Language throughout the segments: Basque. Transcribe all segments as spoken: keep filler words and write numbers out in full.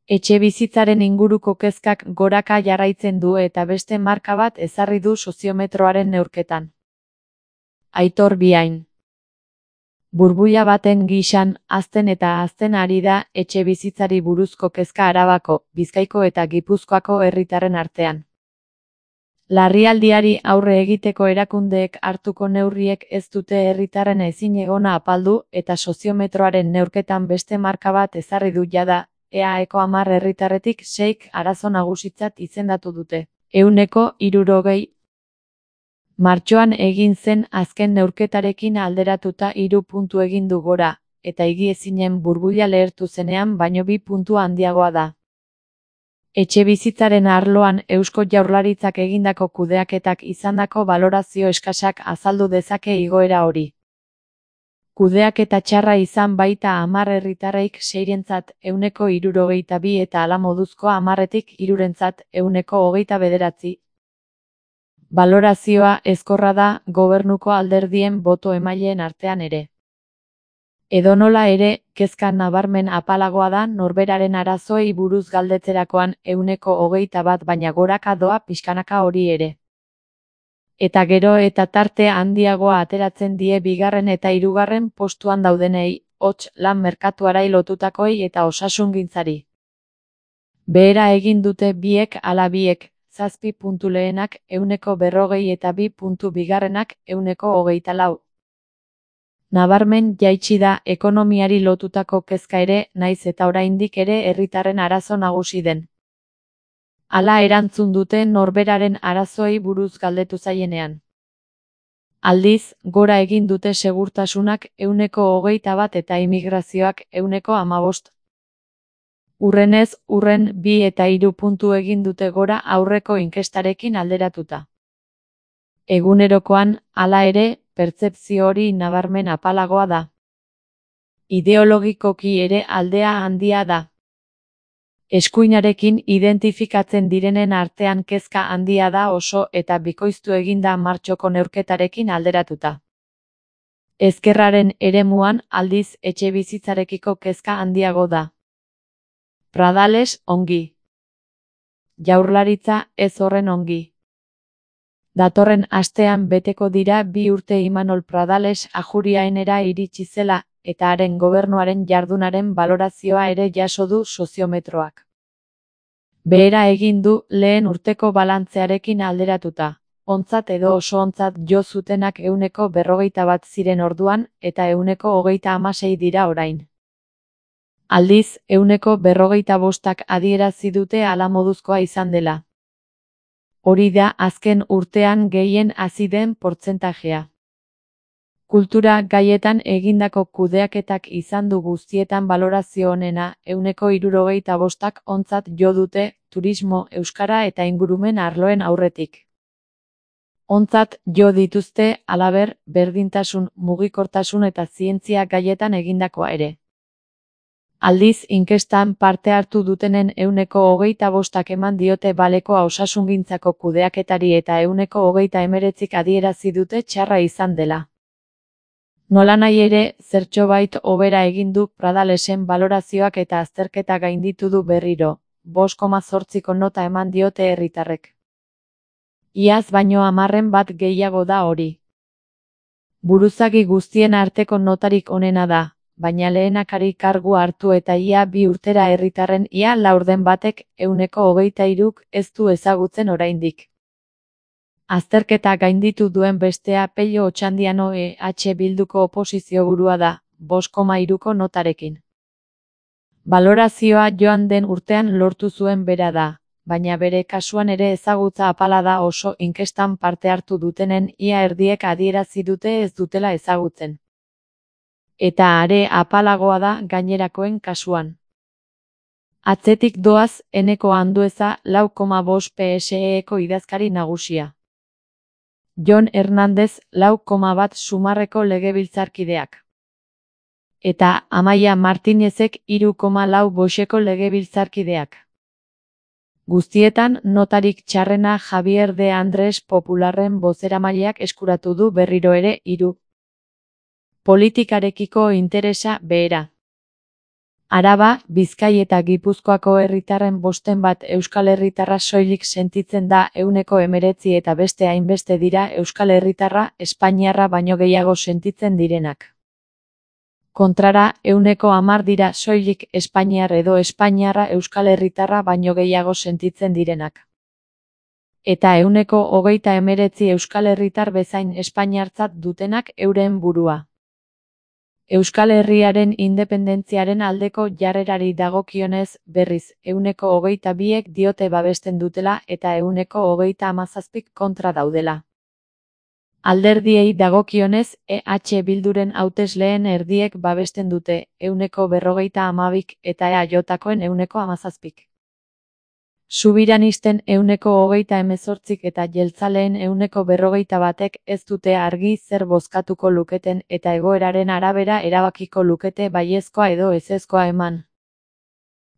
Etxebizitzaren inguruko kezkak goraka jarraitzen du eta beste marka bat ezarri du soziometroaren neurketan. Aitor Biain. Burbuila baten gisan, hazten eta hazten ari da etxebizitzari buruzko kezka Arabako, Bizkaiko eta Gipuzkoako herritarren artean. Larrialdiari aurre egiteko erakundeek hartuko neurriek ez dute herritarren ezinegona apaldu eta soziometroaren neurketan beste marka bat ezarri du jada, E A Eko hamar herritarretik seik arazo nagusitzat izendatu dute. Ehuneko hirurogei. Martxoan egin zen azken neurketarekin alderatuta hiru puntu egin du gora, eta higiezinen burbuila lehertu zenean baino bi puntu handiagoa da. Etxebizitzaren arloan Eusko Jaurlaritzak egindako kudeaketak izandako balorazio eskasak azaldu dezake igoera hori. Kudeaketa txarra izan baita hamar herritarreik seirentzat ehuneko hirurogeita bi eta hala moduzko hamarretik hirurentzat ehuneko hogeita bederatzi. Balorazioa ezkorra da gobernuko alderdien boto emaileen artean ere. Edonola ere, kezka nabarmen apalagoa da norberaren arazoei buruz galdetzerakoan ehuneko hogeita bat baina goraka doa pixkanaka hori ere. Eta gero eta tarte handiagoa ateratzen die bigarren eta hirugarren postuan daudenei, hots lan merkatuarai lotutakoei eta osasungintzari. Behera egin dute biek ala biek, zazpi puntu lehenak ehuneko berrogei eta bi puntu bigarrenak ehuneko hogeita lau. Nabarmen jaitsi da ekonomiari lotutako kezka ere, naiz eta oraindik ere herritarren arazo nagusi den. Hala erantzun dute norberaren arazoei buruz galdetu zaienean. Aldiz, gora egin dute segurtasunak ehuneko hogeita bat eta immigrazioak ehuneko hamabost. Urrenez, urren bi eta hiru puntu egin dute gora aurreko inkestarekin alderatuta. Egunerokoan, hala ere, pertzepzio hori nabarmen apalagoa da. Ideologikoki ere aldea handia da. Eskuinarekin identifikatzen direnen artean kezka handia da oso eta bikoiztu eginda martxoko neurketarekin alderatuta. Ezkerraren eremuan aldiz etxebizitzarekiko kezka handiago da. Pradales ongi. Jaurlaritza ez horren ongi. Datorren astean beteko dira bi urte Imanol Pradales Ajuriaenera iritsi zela, eta haren gobernuaren jardunaren balorazioa ere jaso du soziometroak. Behera egin du lehen urteko balantzearekin alderatuta, ontzat edo oso ontzat jo zutenak ehuneko berrogeita bat ziren orduan eta ehuneko hogeita hamasei dira orain. Aldiz, ehuneko berrogeita bostak adierazi dute hala moduzkoa izan dela. Hori da azken urtean gehien hazi den portzentajea. Kultura gaietan egindako kudeaketak izan du guztietan balorazio onena, ehuneko hirurogeita bostak ontzat jo dute, turismo, euskara eta ingurumen arloen aurretik. Ontzat jo dituzte, halaber, berdintasun, mugikortasun eta zientzia gaietan egindakoa ere. Aldiz, inkestan parte hartu dutenen ehuneko hogeita bostak eman diote balekoa osasungintzako kudeaketari eta ehuneko hogeita hemeretzik adierazi dute txarra izan dela. Nolanahi ere, zertxobait hobera egin du Pradalesen balorazioak eta azterketa gainditu du berriro, bost koma zortziko nota eman diote herritarrek. Iaz baino hamarren bat gehiago da hori. Buruzagi guztien arteko notarik onena da, baina lehenakari kargu hartu eta ia bi urtera herritarren ia laurden batek ehuneko hogeita hiruk ez du ezagutzen oraindik. Azterketa gainditu duen bestea Pello Otxandiano E H Bilduko oposizio burua da, bost koma hiruko notarekin. Balorazioa joan den urtean lortu zuen bera da, baina bere kasuan ere ezagutza apala da oso inkestan parte hartu dutenen ia erdiek adierazi dute ez dutela ezagutzen. Eta are apalagoa da gainerakoen kasuan. Atzetik doaz Eneko Andueza lau koma bost P S E-eko idazkari nagusia. Jon Hernandez lau koma bat Sumarreko legebiltzarkideak. Eta Amaia Martinezek hiru koma lau Boxeko legebiltzarkideak. Guztietan notarik txarrena Javier de Andrés Popularren bozeramaileak eskuratu du berriro ere hiru. Politikarekiko interesa behera. Araba, Bizkai eta Gipuzkoako herritarren bosten bat euskal herritarra soilik sentitzen da ehuneko hemeretzi eta beste hainbeste dira euskal herritarra espainiarra baino gehiago sentitzen direnak. Kontrara, ehuneko hamar dira soilik espainiar edo espainiarra euskal herritarra baino gehiago sentitzen direnak. Eta ehuneko hogeita hemeretzi euskal herritar bezain espainiartzat dutenak euren burua. Euskal Herriaren independentziaren aldeko jarrerari dagokionez, berriz, ehuneko hogeita biek diote babesten dutela eta ehuneko hogeita hamazazpik kontra daudela. Alderdiei dagokionez, E H Bilduren hautesleen erdiek babesten dute, ehuneko berrogeita hamabik eta E A Jkoen ehuneko hamazazpik. Subiranisten ehuneko hogeita hemezortzik eta jeltzaleen ehuneko berrogeita batek ez dute argi zer bozkatuko luketen eta egoeraren arabera erabakiko lukete baiezkoa edo ezezkoa eman.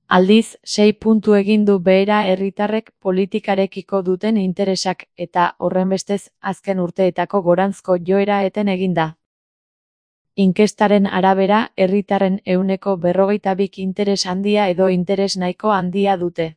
Aldiz, sei puntu egin du behera herritarrek politikarekiko duten interesak eta horrenbestez azken urteetako goranzko joera eten eginda. Inkestaren arabera, herritarren ehuneko berrogeita bik interes handia edo interes nahiko handia dute.